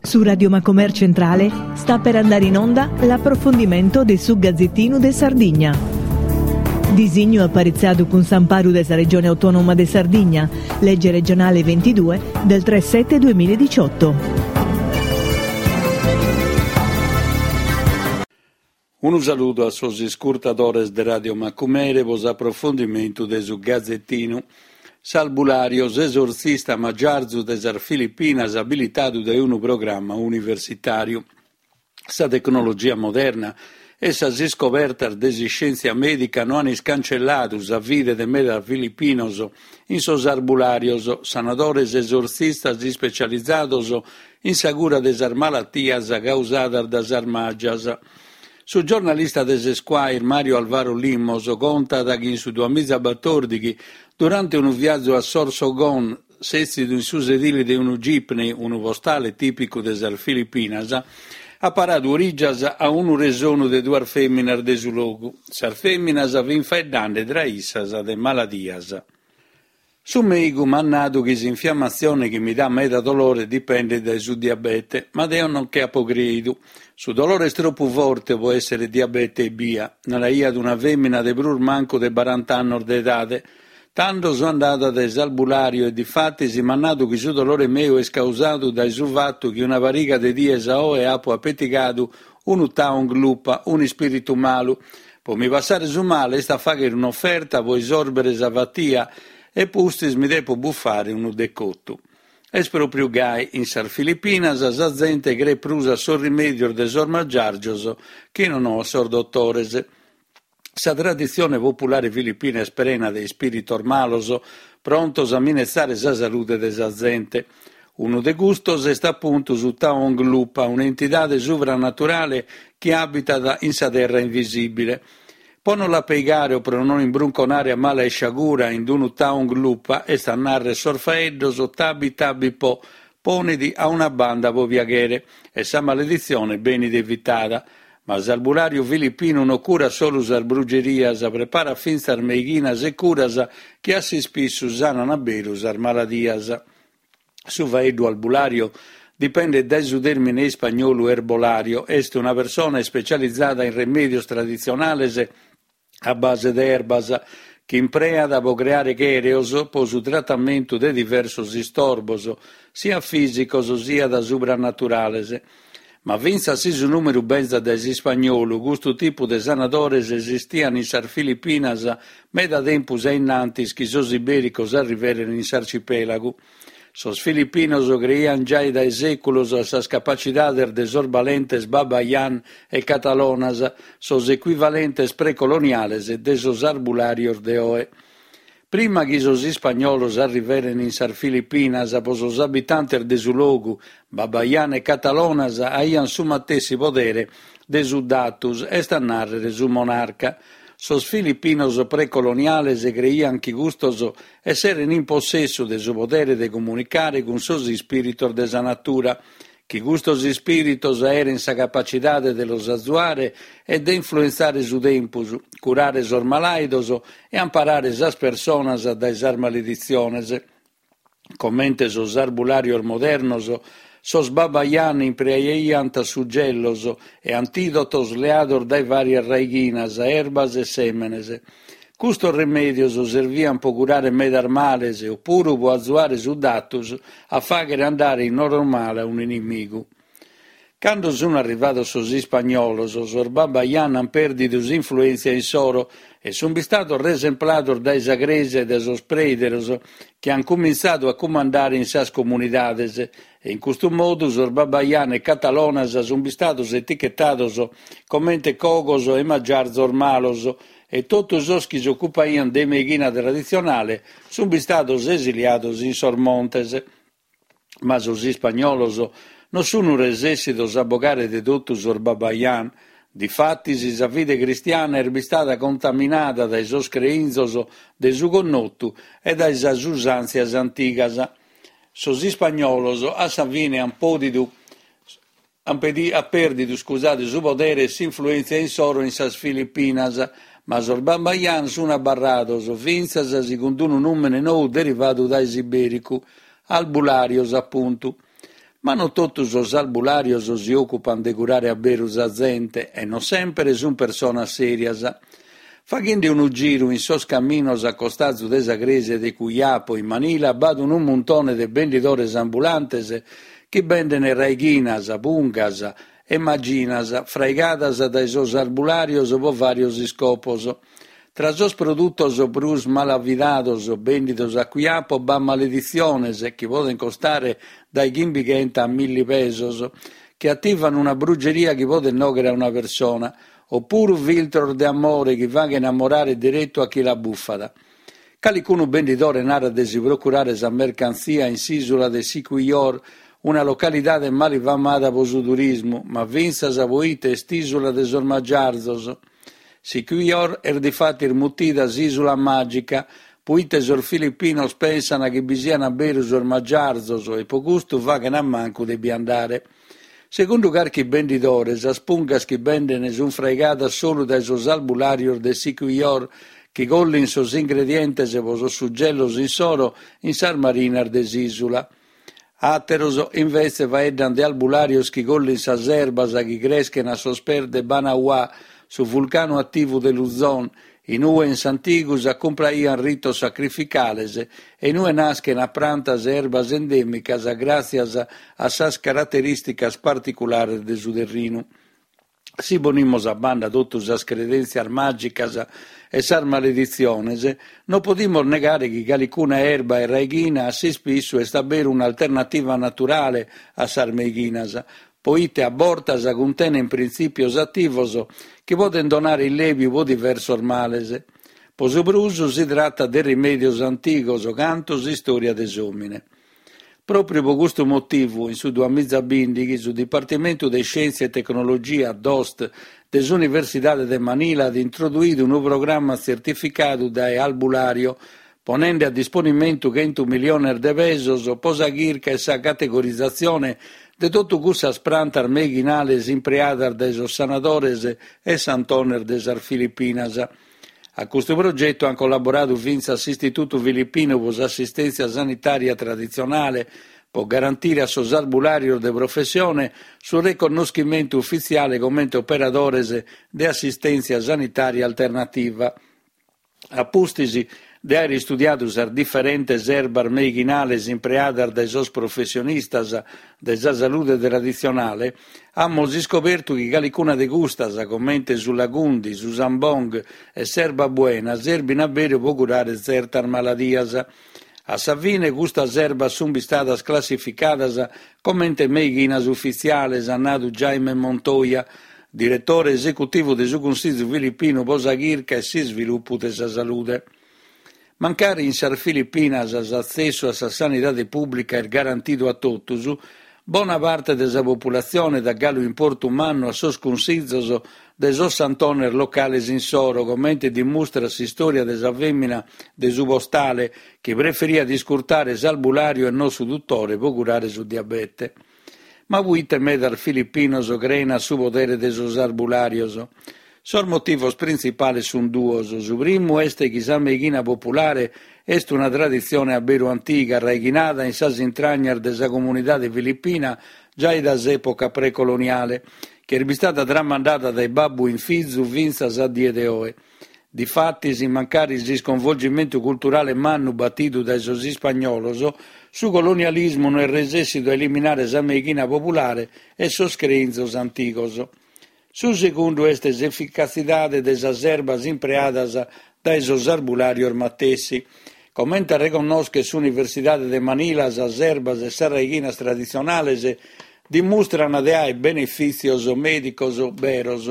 Su Radio Macomer Centrale sta per andare in onda l'approfondimento de su Gazzettinu de Sardigna. Disignu aparitzadu cun s'amparu de sa Regione Autonoma de Sardigna, lege regionale 22 del 3 7 2018. Unu saludu a sos iscurtadores de Radio Macumere pro s'aprofundimentu de su Gazetinu. S'albulario, s'esortzista magiarzu de sas Filipinas abilitadu dae unu programma universitàriu. Sa tecnologia moderna e sas iscobertas de s'iscièntzia mèdica no an iscancelladu sa fide de medas filipinos in sos arbulàrios, sanadores esortzistas ispecializados in sa cura de sas malatias causadas dae sas magias. Su giornalista de s'Esquire Mario Alvaro Limos contat chi in su duamizabatòrdighi, durante unu viazu a Sorsogon, sètzidu in su sedile de unu jeepney, unu postale tìpicu de sas Filipinas, at paradu orìgias a unu resonu de duas fèminas de su logu. Sas fèminas fint faeddende tra issas de maladias. Su mèigu m'at nadu chi s'infiammatzione chi mi dat meda dolore dipendet dae su diabete, ma deo non che apo crèidu. Su dolore est tropu forte pro èssere diabete ebbia, naraiat una fèmina de prus mancu de barant'annos de edade. Tando so andada dae s'albulàriu e difatis m'at nadu chi su dolore meu est causadu dae su fatu chi una pariga de dies a oe apo apetigadu unu taong lupa, un'ispìritu malu. Pro mi passare su male est a fàghere un'oferta pro isòrbere sa fatia e pustis mi depo bufare unu decotu. Est pròpriu gai, in sas Filipinas sa zente creet prus a sos rimèdios de sos magiàrgios chi non a sos dotores. Sa traditzione populare filipina est prena de ispìritos malos prontos a minetzare sa salude de sa zente. Unu de custos est apuntu su Taong Lupa, un'entidade subranaturale chi abitat in sa terra invisìbile. Pro no l'apeigare o pro non imbrunconare a mala isciagura in unu Taong Lupa, est a nàrrere sos faeddos tabi tabi po, ponedi a una banda pro piaghere, e sa maleditzione benit evitada. Ma s'albulàriu filipinu no curat solu sas brugerias, preparat fintzas meighinas e curas chi a s'ispissu sanan a beru sas maladias. Su faeddu albulario dipendet dae su tèrmine ispagnolu herbolario, est una persona ispecializada in remèdios traditzionales a base de erbas, chi impreat pro creare chèreos pro su tratamentu de diversos istorbos, siat fìsicos siat subranaturales. Ma fintzas si su nùmene benzat dae s'ispagnolu, custu tipu de sanadores esistian in sas Filipinas meda tempus a innantis chi sos ibèricos arriveren in s'arcipèlagu. Sos filipinos creian giai dae sèculos a sas capacidades de sos balentes Babayan e Catalonas, sos ecuivalentes precoloniales de sos arbulàrios de oe. Prima chi sos ispagnolos arriveren in sas Filipinas, pro sos abitantes de su logu, Babayan e Catalonas aian su matessi podere de su datus, est a nàrrere su monarca. Sos filipinos precoloniales creian chi custos esseren in possessu de su podere de comunicare cun sos ispìritos de sa natura, chi custos ispìritos aeren sa capacidade de los azuare e de influentzare su tempus, curare sos malàidos e amparare sas personas dae sas maleditziones. Comente sos arbulàrios modernos, sos Babayan impreaiant sugellos e antìdotos leados dae vàrias raighinas, erbas e sèmenes. Custos remèdios serviant pro curare medas males o puru pro azuare su datus a fàghere andare in oromala un'inimigu. Cando sun arrivados sos ispagnolos, sos Babayan an pèrdidu s'influèntzia insoro e sun bistados resemplados dae sa crèsia e dae sos prèideros chi an cumintzadu a cumandare in sas comunidades e in custu modu sos Babayan e Catalonas sun bistados etichetados comente cogos e magiarzos malos e totu sos chi s'ocupaian de meighina traditzionale sun bistados esiliados in sos montes. Ma sos ispagnolos non sun resessidos a bogare de totu sos Babayan. Difatis sa fide cristiana est bistada contaminada dae sos creinzos de su connotu e dae sas usàntzias antigas. Sos ispagnolos a sa fine an pòdidu Ant pèrdidu scusade, su podere e s'influèntzia insoro in sas Filipinas, ma sos Babayan sunt abarrados, fintzas si cun unu nùmene nou derivadu dae s'ibèricu, albulàrios apuntu. Ma non totu sos albulàrios si òcupant de curare a beru sa zente e non sèmpere sunt personas sèrias. Faghende unu giru in sos caminos a costazu de sa crèsia de Quiapo in Manila b'at unu muntone de bendidores ambulantes chi benden raighinas, pungas e maginas fraigadas dae sos albulàrios pro vàrios iscopos. Tra sos produtos prus malavidados bèndidos a Quiapo b'at maleditziones chi podent costare dae chimbighenta a milli pesos, chi ativan una brugeria chi podet nòghere a una persona, opuru filtros de amore chi faghen amorare deretu a chi la bufat. Calicunu bendidore narat de si procurare sa mercantzia in s'ìsula de Siquijor, una localidade malifamada pro su turismu, ma fintzas pro ite est ìsula de sos magiarzos. Siquijor est difatis mutida s'ìsula màgica, proite sos filipinos pensant chi bi siant beru sos magiarzos e pro custu faghen a mancu de bi andare. Segundu carchi bendidore, sas pungas chi benden sunt fraigadas solu dae sos albulàrios de Siquijor chi collin sos ingredientes pro sos sugellos insoro in sas marinas de s'ìsula. Àteros, invetze, faeddan de albulàrios chi collin sas erbas chi creschen a sos pes de Banaua, su vulcanu ativu de Luzon, in ue in s'antigu s'acumpraian ritos sacrificales e in ue naschen prantas e erbas endèmicas gràtzias a sas caraterìsticas particulares de su terrinu. Si ponimus a banda totu sas credèntzias màgicas e sas maleditziones, non podimus negare chi calicuna erba e raighina a s'ispissu est a beru un'alternativa naturale a sas meighinas, poite a bortas cuntenen printzìpios ativos chi podent donare illèbiu pro diversos males. Pro su prus si tratat de rimèdios antigos cantu s'istòria de s'òmine. Pròpriu pro custu motivu, in su duamizabìndighi, su Dipartimentu de Iscièntzia e Tecnologia, DOST, de s'Universidade de Manila at introduidu unu programma tzertificadu dae Albulario, ponende a disponimentu chentu miliones de pesos pro sa chirca e sa categorizatzione de totu cussas prantas meighinales impreadas dae sos sanadores e santones de sas Filipinas. A custu progetu ant collaboradu fintzas s'Istitutu Filipinu pro s'Assistèntzia Sanitària Traditzionale pro garantire a sos arbulàrios de professione su reconnoschimentu ufitziale comente operadores de assistèntzia sanitària alternativa. A pustis de àere istudiadu sas diferentes erbas meighinales impreadas dae sos professionistas de sa salude traditzionale, amus iscobertu chi calicuna de custas, comente su lagundi, su sambong e s'erba buena, serbin a beru pro curare tzertas maladias. A sa fine, custas erbas sunt bistadas classificadas comente meighinas ufitziales, at nadu Jaime Montoya, diretore esecutivu de su Cunsìgiu Filipinu pro sa Chirca e s'Isvilupu de sa Salude. Mancari in sas Filipinas s'atzessu a sa sanidade pùblica est garantidu a totus, bona parte de sa populatzione dat galu importu mannu a sos cunsizos de sos santones locales insoro, comente dimustrat s'istòria de sa fèmina de su postale chi preferiat iscurtare s'albulàriu e non su dutore pro curare su diabete. Ma puite medas filipinos creen a su podere de sos arbulàrios? Sos motivos printzipales sunt duos. Su primu est chi sa meighina populare est una traditzione a beru antiga, raighinada in sas intragnas de sa comunidade filipina giai dae s'època precoloniale, chi est bistada tramandada dae babbu in fizu fintzas a die de oe. Difatis, mancari s'isconvolgimentu culturale mannu batidu dae sos ispagnolos, su colonialismu no est resèssidu a eliminare sa meighina populare e sos creinzos antigos. Su segundu est s'eficatzidade de sas erbas impreadas dae sos arbulàrios matessi. Comente reconnoschet s'Universidade de Manila sas erbas e sas raighinas traditzionales dimustran de àere benefìtzios mèdicos beros.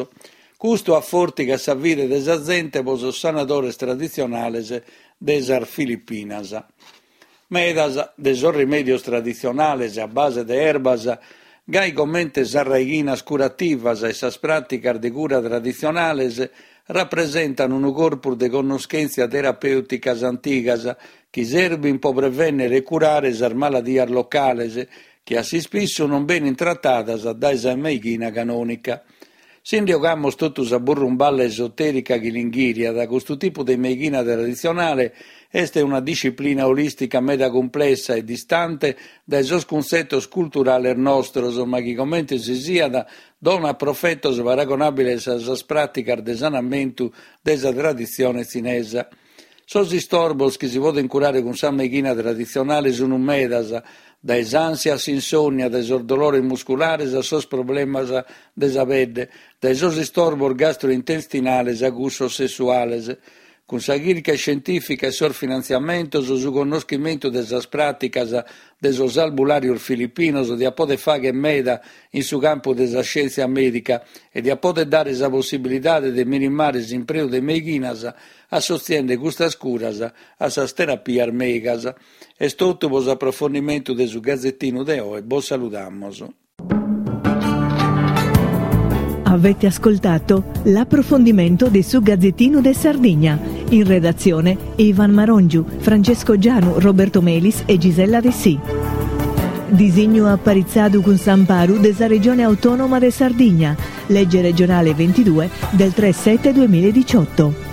Custu afòrtigat sa fide de sa zente pro sos sanadores traditzionales de sas Filipinas. Medas de sos rimèdios traditzionales a base de erbas, gai comente sas raighinas curativas e sas pràticas de cura traditzionales, rapresentan unu corpus de connoschèntzias terapèuticas antigas chi serbin pro prevènnere e curare sas maladias locales chi a s'ispissu non benin tratadas dae sa meighina canònica. Si nde 'ogamus totu sa burrumballa esotèrica chi l'inghìriat, custu tipu de meighina traditzionale est una disciplina olìstica meda cumplessa e distante dae sos cuntzetos culturales nostros, ma chi comente si siat donat profetos paragonàbiles a sas pràticas de sanamentu de sa traditzione tzinesa. Sos istorbos chi si podent curare cun sa meighina traditzionale sunt medas, dae s'ànsia a s'insònnia, dae sos dolores musculares a sos problemas de sa pedde, dae sos istorbos gastrointestinales a cussos sessuales. Cun sa chirca iscientìfica e sos finantziamentos, su connoschimentu de sas pràticas de sos albulàrios filipinos diat poder fàghere meda in su campu de sa scièntzia mèdica e diat poder dare sa possibilidade de minimare s'impreu de meighinas assotziende custas curas a sas terapias mèigas. Est totu pro s'aprofondimentu de su Gazetinu de oe, bos saludamus. Avete ascoltato l'approfondimento de su Gazzettino de Sardigna. In redazione Ivan Marongiu, Francesco Gianu, Roberto Melis e Gisella Dessì. Disignu aparitzadu cun s'amparu de sa Regione Autonoma de Sardigna, legge regionale 22 del 3 7 2018.